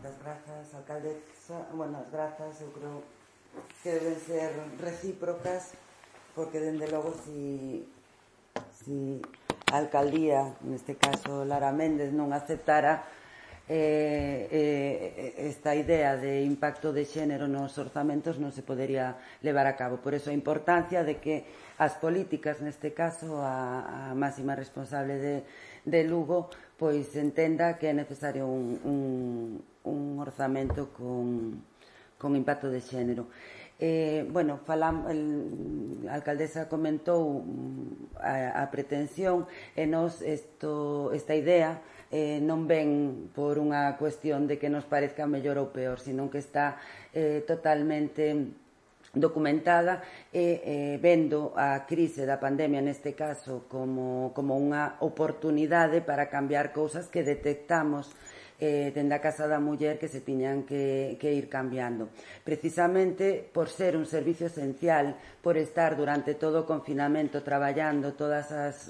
Moitas grazas, alcaldesa. Bueno, as grazas eu creo que deben ser recíprocas, porque dende logo si a alcaldía, neste caso Lara Méndez, non aceptara esta idea de impacto de xénero nos orzamentos, non se podería levar a cabo. Por eso a importancia de que as políticas, neste caso a máxima responsable de Lugo, pois entenda que é necesario un orzamento con impacto de xénero. Bueno, a alcaldesa comentou a pretensión e nos esta idea non ven por unha cuestión de que nos parezca mellor ou peor, sino que está totalmente documentada e vendo a crise da pandemia neste caso como unha oportunidade para cambiar cousas que detectamos dende a Casa da Muller que se tiñan que ir cambiando. Precisamente por ser un servicio esencial, por estar durante todo o confinamento traballando todas as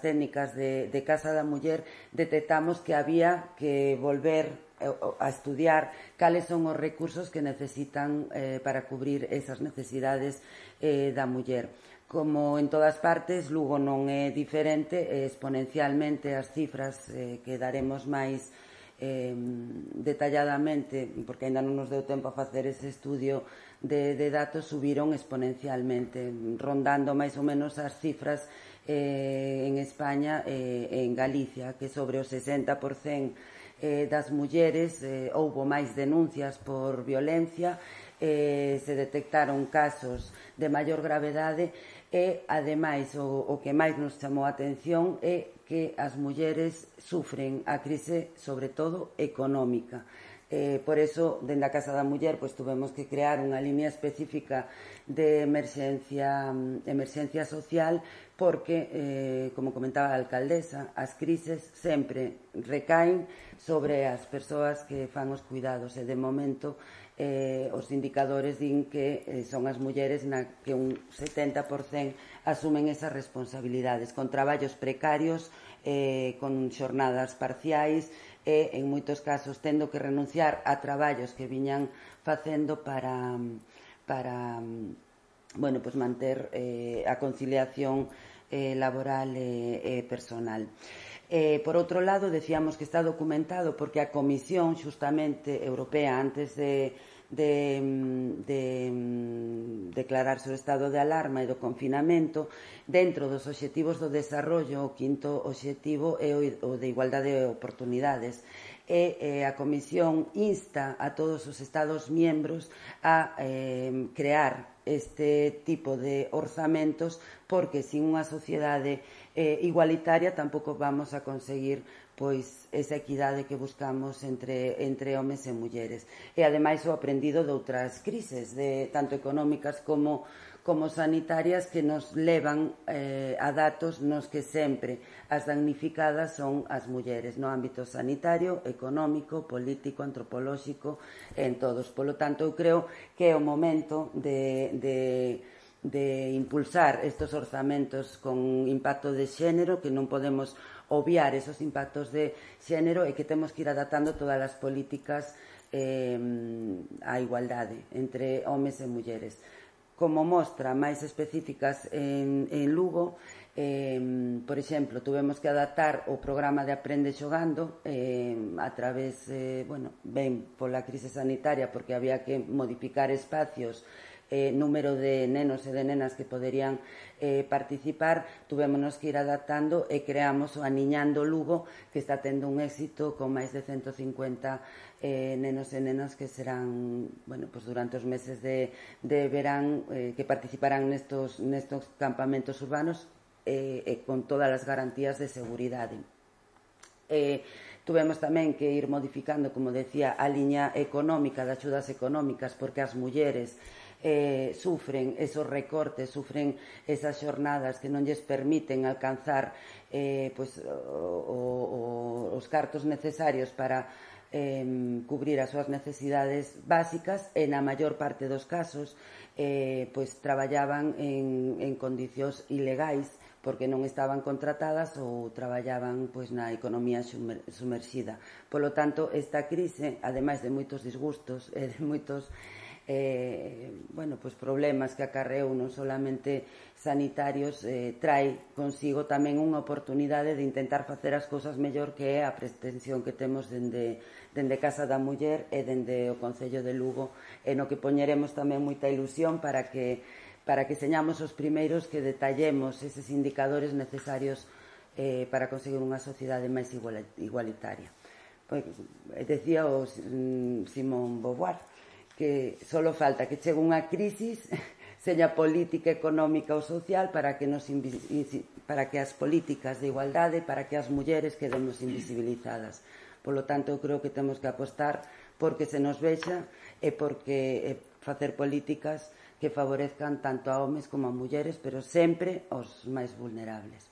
técnicas de Casa da Muller, detectamos que había que volver a estudiar cales son os recursos que necesitan para cubrir esas necesidades da muller. Como en todas partes, Lugo non é diferente, exponencialmente as cifras que daremos máis detalladamente, porque ainda non nos deu tempo a facer ese estudio de datos, subiron exponencialmente, rondando máis ou menos as cifras en España e en Galicia, que sobre o 60% das mulleres houbo máis denuncias por violencia, se detectaron casos de maior gravedade e, ademais, o que máis nos chamou a atención é que as mulleres sufren a crise, sobre todo, económica. Por eso, dende a Casa da Muller, tuvemos que crear unha línea específica de emerxencia social, porque, como comentaba a alcaldesa, as crises sempre recaen sobre as persoas que fan os cuidados e, de momento, os indicadores din que son as mulleres na que un 70% asumen esas responsabilidades, con traballos precarios, con xornadas parciais e, en moitos casos, tendo que renunciar a traballos que viñan facendo para manter a conciliación laboral e personal. Por outro lado, decíamos que está documentado porque a Comisión xustamente europea, antes de declararse o estado de alarma e do confinamento, dentro dos obxectivos do desarrollo, o quinto obxectivo é o de igualdade de oportunidades. A Comisión insta a todos os Estados miembros a crear este tipo de orzamentos, porque sin unha sociedade igualitaria tampouco vamos a conseguir esa equidade que buscamos entre homes e mulleres. E, ademais, o aprendido de outras crises, tanto económicas como sanitarias, que nos levan a datos nos que sempre as damnificadas son as mulleres, no ámbito sanitario, económico, político, antropolóxico, en todos. Polo tanto, eu creo que é o momento de impulsar estes orzamentos con impacto de xénero, que non podemos obviar esos impactos de xénero e que temos que ir adaptando todas as políticas á igualdade entre homes e mulleres. Como mostra máis específicas en Lugo, por exemplo, tuvemos que adaptar o programa de Aprende Xogando a través, ben pola crise sanitaria, porque había que modificar espacios, número de nenos e de nenas que poderían participar. Tuvémonos que ir adaptando e creamos o Aniñando Lugo, que está tendo un éxito con máis de 150 nenos e nenas que serán, durante os meses de verán, que participarán nestos campamentos urbanos con todas as garantías de seguridade. Tuvemos tamén que ir modificando, como decía, a liña económica, de axudas económicas, porque as mulleres sufren esos recortes, sufren esas xornadas que non lles permiten alcanzar os cartos necesarios para cubrir as súas necesidades básicas, e na maior parte dos casos traballaban en condicións ilegais, porque non estaban contratadas ou traballaban na economía sumerxida. Polo tanto, esta crise, ademais de moitos disgustos e de moitos problemas que acarreou non solamente sanitarios, trae consigo tamén unha oportunidade de intentar facer as cousas mellor, que é a pretensión que temos dende Casa da Muller e dende o Concello de Lugo, e no que poñeremos tamén moita ilusión para que señamos os primeiros que detallemos eses indicadores necesarios para conseguir unha sociedade máis igualitaria. Decía o Simón Beauvoir que só falta que chegue unha crisis, seña política, económica ou social, para que as políticas de igualdade, para que as mulleres quedemos invisibilizadas. Polo tanto, eu creo que temos que apostar porque se nos vexa e porque facer políticas que favorezcan tanto a homes como a mulleres, pero sempre aos máis vulnerables.